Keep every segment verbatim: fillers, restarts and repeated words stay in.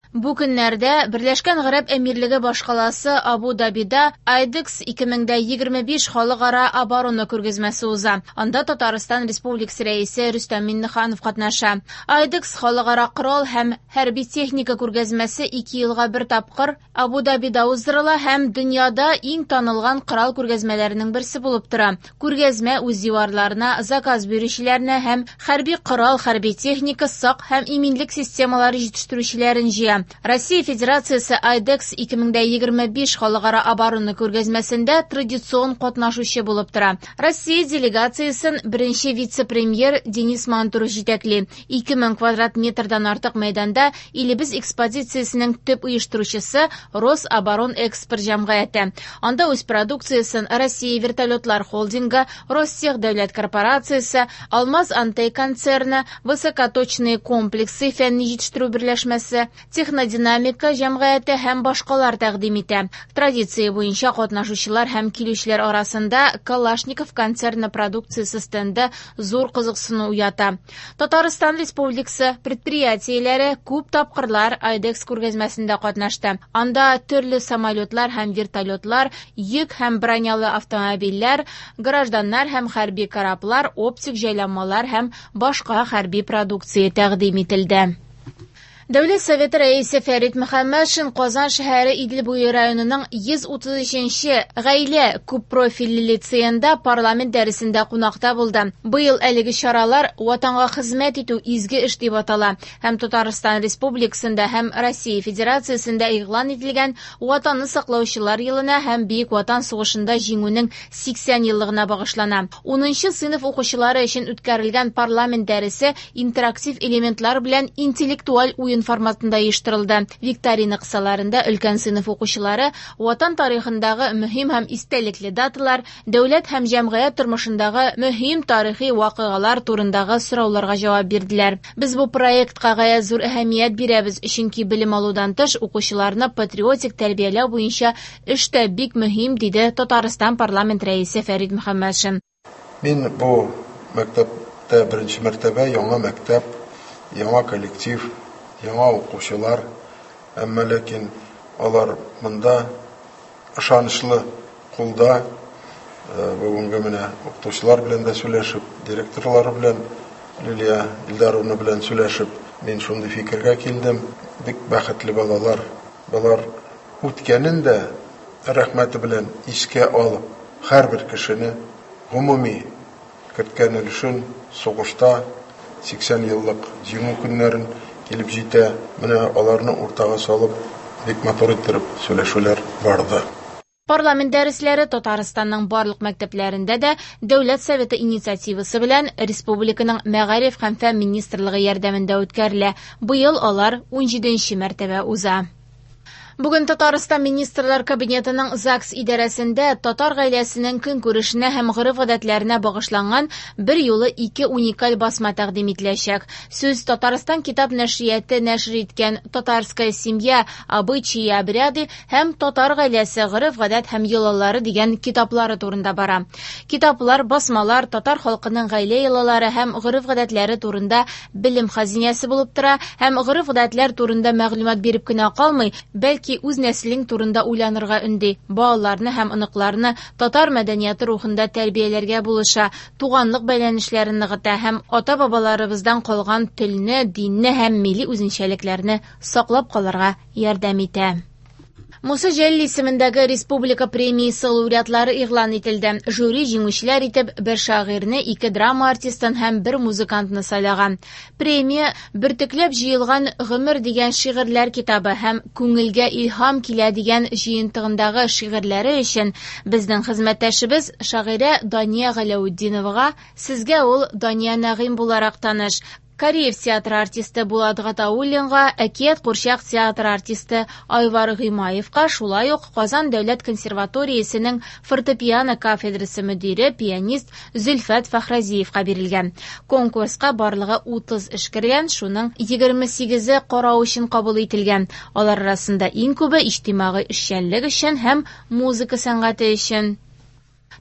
Бу көннәрдә Берләшкән Гарәп Әмирлеге башкаласы Абу-Дабида IDEX ике мең егерме биш халыкара оборона күргәзмәсе уза. Анда Татарстан Республикасы Рәисе Рөстәм Миңнеханов катнаша. IDEX халыкара корал һәм хәрби техника күргәзмәсе ике елга бер тапкыр Абу-Дабида уздырыла һәм дөньяда иң танылган корал күргәзмәләренең берсе булып тора. Күргәзмә үз диварларына заказ бирүчеләрне һәм хәрби корал, хәрби техника, сак һәм иминлек системалары җитештерүчеләрен җыя. Россия Федерациясе IDEX ике мең егерме биш халыкара оборона күргәзмәсендә традицион катнашучы булып тора. Россия делегациясен беренче вице-премьер Денис Мантуров җитәкли. Ике мең квадрат метрдан артык мәйданда илебез экспозициясенең төп оештыручысы Рособоронэкспорт җәмгыяте. Анда үз продукциясен Россия вертолетлар холдингы, Ростех дәүләт корпорациясе, Алмаз Антей концерны, высокоточные комплексы фәнни җитештерү берләшмәсе, Технодинамика җәмгыяте һәм башкалар тәкъдим итә. Традиция буенча катнашучылар һәм килүчеләр арасында Калашников концерны продукциясе стенды зур кызыксыну уята. Татарстан Республикасы предприятиеләре күп тапкырлар IDEX күргәзмәсендә катнашты. Анда төрле самолетлар һәм вертолетлар, йөк һәм бронялы автомобильләр, гражданнар һәм хәрби кораблар, оптик җайланмалар һәм башка хәрби продукция тәкъдим ителде. Дәүләт Советы рәисе Фәрит Мөхәммәтшин Казан шәһәре Идел буе районының йөз утыз өченче гаилә күп профильле лицеенда парламент дәресендә кунакта булды. Быел әлеге чаралар Ватанга хезмәт итү изге эш дип атала һәм Татарстан Республикасында һәм Россия Федерациясендә игълан ителгән Ватанны саклаучылар елына һәм Бөек Ватан сугышында җиңүнең сиксән еллыгына багышлана. Унынчы сыйныф укучылары өчен үткәрелгән парламент дәресе интерактив элементлар белән интеллектуаль уен форматында оештырылды. Викторина кысаларында өлкән сыйныф укучылары Ватан тарихындагы мөһим һәм истәлекле даталар, дәүләт һәм җәмгыять тормышындагы мөһим тарихи вакыйгалар турындагы сорауларга җавап бирделәр. Без бу проектка гаять зур әһәмият бирәбез, чөнки белем алудан тыш укучыларны патриотик тәрбияләү буенча эш тә бик мөһим, диде Татарстан парламент рәисе Фәрит Мөхәммәтшин. Мин бу мәктәптә беренче мәртәбә яңа мәктәп, яңа коллектив, яңа укучылар, әмма ләкин алар монда ышанычлы кулда, э, бүгенге менә укытучылар белән дә сөйләшеп, директорлары белән, Лилия Илдаровна белән сөйләшеп, мин шундый фикергә килдем. Бик бәхетле балалар. Балар үткәнен дә рәхмәте белән искә алып, һәрбер кешене гомуми керткән өлешен сугышта сиксән еллык җиңү көннәрен килеп җитә. Менә аларны уртага салып, бик матур иттереп сөйләшүләр барды. Парламент дәресләре Татарстанның барлык мәктәпләрендә дә Дәүләт Советы инициативасы белән Республиканың Мәгариф һәм фән министрлыгы ярдәмендә үткәрелә. Быел алар унҗиденче мәртәбә уза. Бүген Татарстан Министрлар Кабинетының ЗАГС идарәсендә татар гаиләсенең көнкүрешенә һәм гореф-гадәтләренә багышланган бер юлы ике уникаль басма тәкъдим ителәчәк. Сүз Татарстан китап нәшрияте нәшер иткән Татарская семья, обычаи и обряды һәм Татар гаиләсе, гореф-гадәт һәм йолалары дигән китаплары турында бара. Китаплар, басмалар татар халкының гаилә йолалары һәм гореф-гадәтләре турында белем хазинәсе булып тора һәм гореф-гадәтләр турында мәгълүмат биреп кенә калмый, бәлки үз нәселең турында уйланырга өнди, балаларны һәм оныкларны татар мәдәнияте рухында тәрбияләргә булыша, туганлык бәйләнешләрен ныгыта һәм ата-бабаларыбыздан калган телне, динне һәм милли үзенчәлекләрне саклап калырга ярдәм итә. Муса Җәлил исемендәге республика премиясе лауреатлары игълан ителде. Жюри җиңүчеләр итеп бер шагыйрьне, ике драма артистын һәм бер музыкантны сайлаган. Премия бөртекләп җыелган Гомер дигән шигырьләр китабы һәм Күңелгә илһам килә дигән җыентыгындагы шигырьләре өчен безнең хезмәттәшебез шагыйрә Дания Галәүтдиновага, сезгә ул Дания Нәгыйм буларак таныш, Кариев театры артисты Булат Гатауллинга, Әкият курчак театры артисты Айвар Гыймаевка, шулай ук Казан дәүләт консерваториясенең фортепиано кафедрасы мөдире, пианист Зөлфәт Фәхразиевка бирелгән. Конкурска барлыгы утыз эш кергән, шуның егерме сигезе карау өчен кабул ителгән. Алар арасында иң күбе иҗтимагый эшчәнлек өчен һәм музыка сәнгате өчен.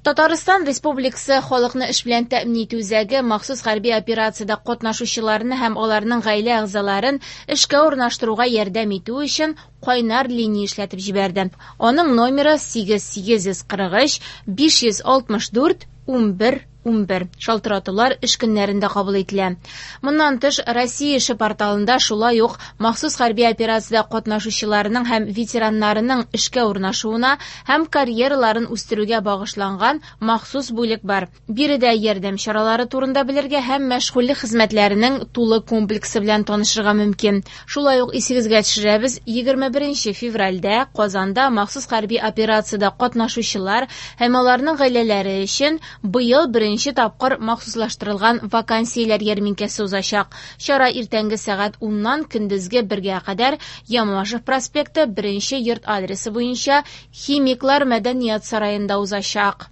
Татарстан Республикасы халыкны эш белән тәэмин итү үзәге махсус хәрби операциядә катнашучыларны һәм аларның гаилә әгъзаларын эшкә урнаштыруга ярдәм итү өчен кайнар линия эшләтеп җибәрде. Аның номеры сигез сигез йөз кырык өч биш йөз алтмыш дүрт унбер унбер. Шалтыратулар эш көннәрендә кабул ителә. Моннан тыш, Россия эше порталында шулай ук махсус хәрби операциядә катнашучыларның һәм ветераннарының эшкә урнашуына һәм карьераларын үстерүгә багышланган махсус бүлек бар. Биредә ярдәм чаралары турында белергә һәм мәшгульлек хезмәтләренең тулы комплексы белән танышырга мөмкин. Шулай ук исегезгә төшерәбез, егерме беренче февральдә Казанда махсус хәрби операциядә катнашучылар һәм аларның гаиләләре өчен быел беренче тапкыр махсуслаштырылган вакансияләр ярминкәсе узачак. Чара иртәнге сәгать уннан көндезге бергә кадәр Ямашев проспекты беренче йорт адресы буенча Химиклар мәдәният сараенда узачак.